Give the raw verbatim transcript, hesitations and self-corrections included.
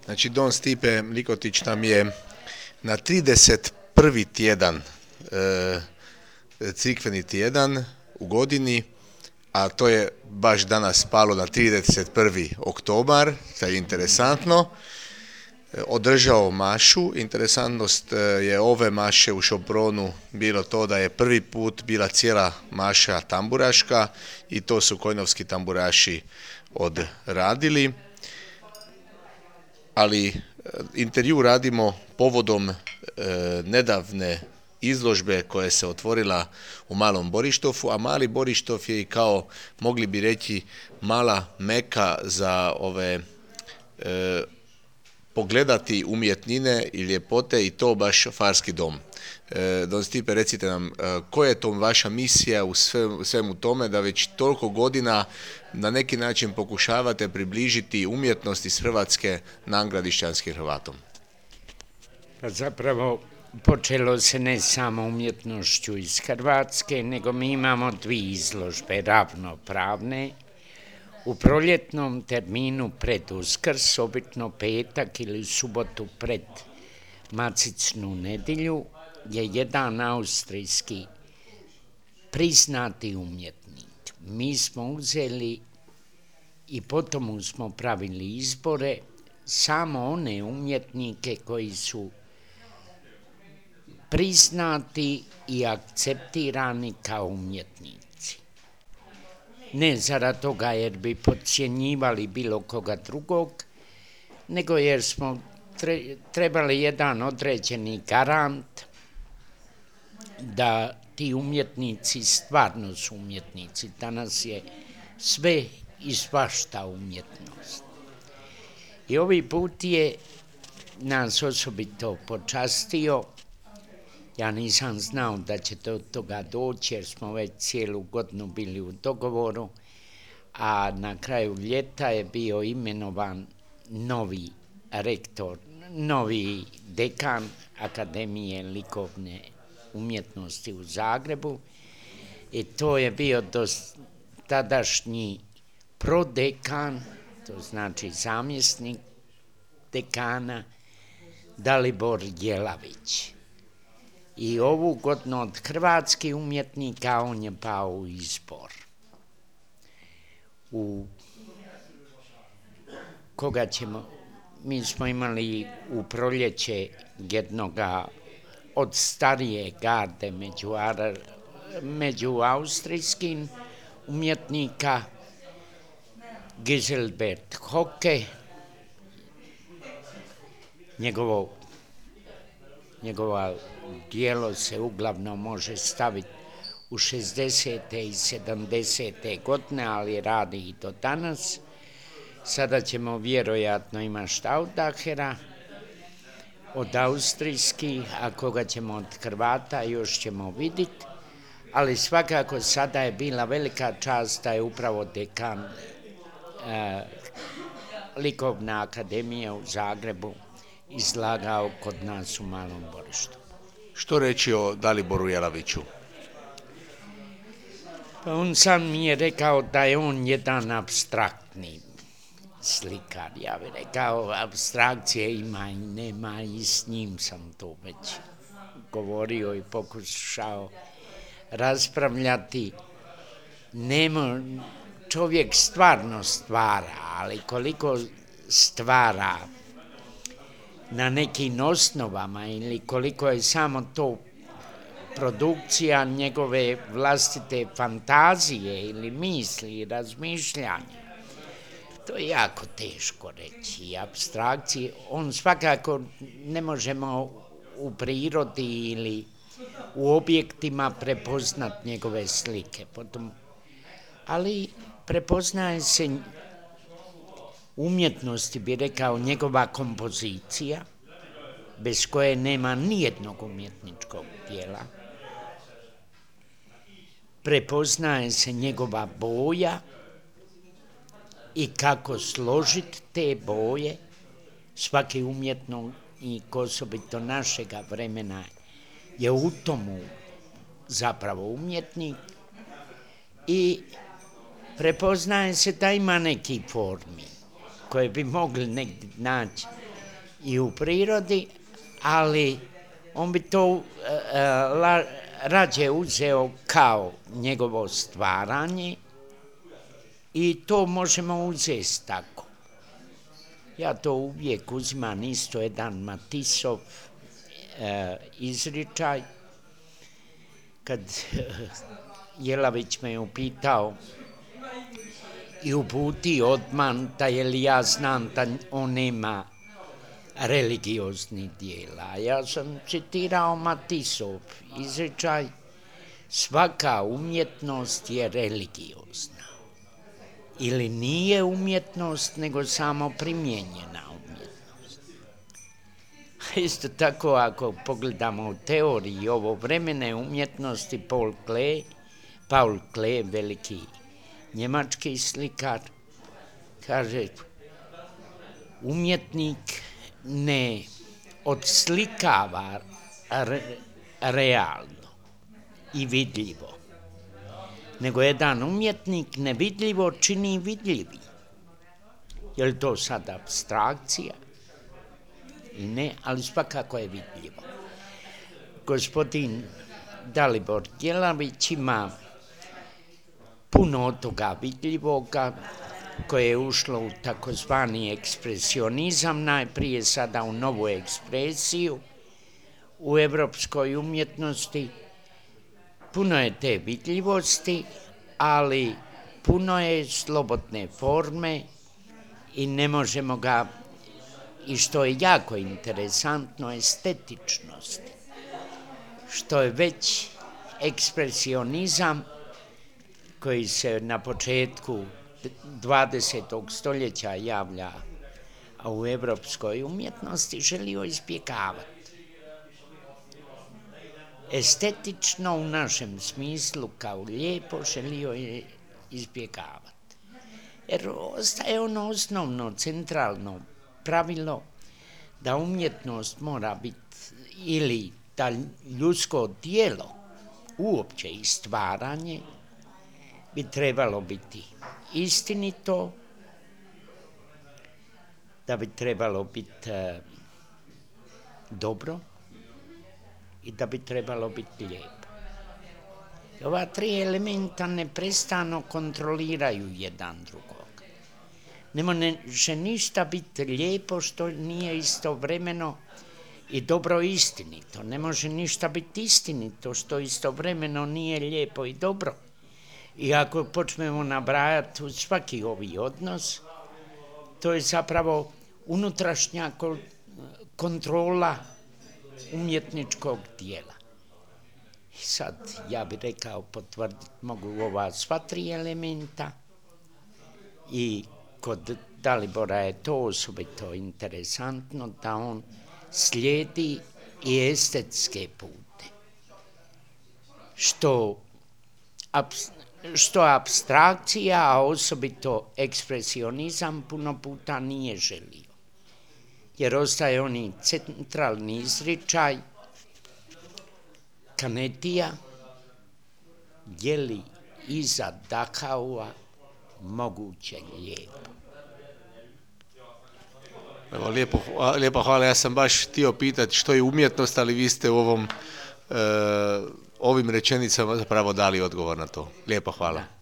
Znači, Don Stipe Likotić nam je na trideset prvi tjedan, e, crikveni tjedan u godini, a to je baš danas palo na trideset prvi oktobar, to je interesantno, održao mašu. Interesantnost je ove maše u Šopronu bilo to da je prvi put bila cijela maša tamburaška i to su kojnovski tamburaši odradili. Ali intervju radimo povodom e, nedavne izložbe koja se otvorila u Malom Borištofu, a Mali Borištov je i kao, mogli bi reći, mala meka za ove e, pogledati umjetnine i ljepote, i to baš Farski dom. E, Don Stipe, recite nam, e, koja je to vaša misija u sve, svemu tome da već toliko godina na neki način pokušavate približiti umjetnost iz Hrvatske Nangradišćanskim Hrvatom? Pa zapravo počelo se ne samo umjetnošću iz Hrvatske, nego mi imamo dvije izložbe ravnopravne. U proljetnom terminu pred Uskrs, obično petak ili subotu pred Macicnu nedjelju, je jedan austrijski priznati umjetnik. Mi smo uzeli i potom smo pravili izbore samo one umjetnike koji su priznati i akceptirani kao umjetnici. Ne zarad toga jer bi podcjenjivali bilo koga drugog, nego jer smo trebali jedan određeni garant da ti umjetnici stvarno su umjetnici. Danas je sve i svašta umjetnost. I ovaj put je nas osobito počastio. Ja nisam znao da će do toga doći jer smo već cijelu godinu bili u dogovoru, a na kraju ljeta je bio imenovan novi rektor, novi dekan Akademije likovne umjetnosti u Zagrebu, i to je bio dos, tadašnji prodekan, to znači zamjesnik dekana, Dalibor Jelavić. I ovu godinu od hrvatskih umjetnika on je pao u izbor. U koga ćemo, mi smo imali u proljeće jednoga od starije garde među, među austrijskim umjetnika, Giselbert Hocke. Njegovo, njegova djelo se uglavnom može staviti u šezdesete i sedamdesete godine, ali radi i do danas. Sada ćemo vjerojatno imati Staudachera od austrijskih, a koga ćemo od Hrvata još ćemo vidjeti, ali svakako sada je bila velika čast da je upravo dekan eh, Likovne akademije u Zagrebu izlagao kod nas u Malom Borištu. Što reći o Daliboru Jelaviću? Pa on sam mi je rekao da je on jedan apstraktni slikar. Ja bih rekao, apstrakcije ima i nema, i s njim sam to već govorio i pokušao raspravljati. Nemo, čovjek stvarno stvara, ali koliko stvara na nekim osnovama ili koliko je samo to produkcija njegove vlastite fantazije ili misli i razmišljanja, to je jako teško reći. I apstrakcije, on svakako ne možemo u prirodi ili u objektima prepoznati njegove slike. Potom, ali prepoznaje se umjetnosti, bi rekao, njegova kompozicija, bez koje nema nijednog umjetničkog djela. Prepoznaje se njegova boja i kako složiti te boje. Svaki umjetnik, osobito našega vremena, je u tomu zapravo umjetnik i prepoznaje se da ima neki formi koje bi mogli negdje naći i u prirodi, ali on bi to uh, la, rađe uzeo kao njegovo stvaranje i to možemo uzeti tako. Ja to uvijek uzimam isto jedan Matisov uh, izričaj. Kad uh, Jelavić me upitao i uputi odman da je li ja znam da on nema religioznih dijela. Ja sam citirao Matisov izričaj, svaka umjetnost je religiozna. Ili nije umjetnost, nego samo primijenjena umjetnost. Isto tako, ako pogledamo u teoriji ovovremene umjetnosti, Paul Klee, Paul Klee, veliki njemački slikar, kaže, umjetnik ne odslikava re, realno i vidljivo, nego jedan umjetnik nevidljivo čini vidljivi. Je li to sad apstrakcija? I ne, ali svakako je vidljivo. Gospodin Dalibor Jelavić ima puno od toga vidljivoga koje je ušlo u takozvani ekspresionizam, najprije sada u novu ekspresiju u evropskoj umjetnosti. Puno je te vidljivosti, ali puno je slobodne forme i ne možemo ga, i što je jako interesantno, estetičnost, što je već ekspresionizam koji se na početku dvadesetog stoljeća javlja a u evropskoj umjetnosti želio izbjegavati. Estetično u našem smislu kao lijepo želio je izbjegavati. Jer ostaje ono osnovno, centralno pravilo da umjetnost mora biti ili da ljudsko djelo uopće i stvaranje bi trebalo biti istinito, da bi trebalo biti e, dobro i da bi trebalo biti lijepo. I ova tri elementa neprestano kontroliraju jedan drugog. Ne može ništa biti lijepo što nije istovremeno i dobro i istinito. Ne može ništa biti istinito što istovremeno nije lijepo i dobro. I ako počnemo nabrajati u svaki ovi odnos, to je zapravo unutrašnja kontrola umjetničkog dijela. I sad, ja bih rekao, potvrditi mogu ova sva tri elementa i kod Dalibora je to osobito interesantno da on slijedi i estetske pute, što što apstrakcija, a osobito ekspresionizam puno puta nije želio. Jer ostaje oni centralni izričaj Kanetija, je li iza Dachaua moguće lijepo. Evo, lijepo, lijepo hvala, ja sam baš htio pitati što je umjetnost, ali vi ste u ovom, e, ovim rečenicama zapravo dali odgovor na to. Lijepo hvala.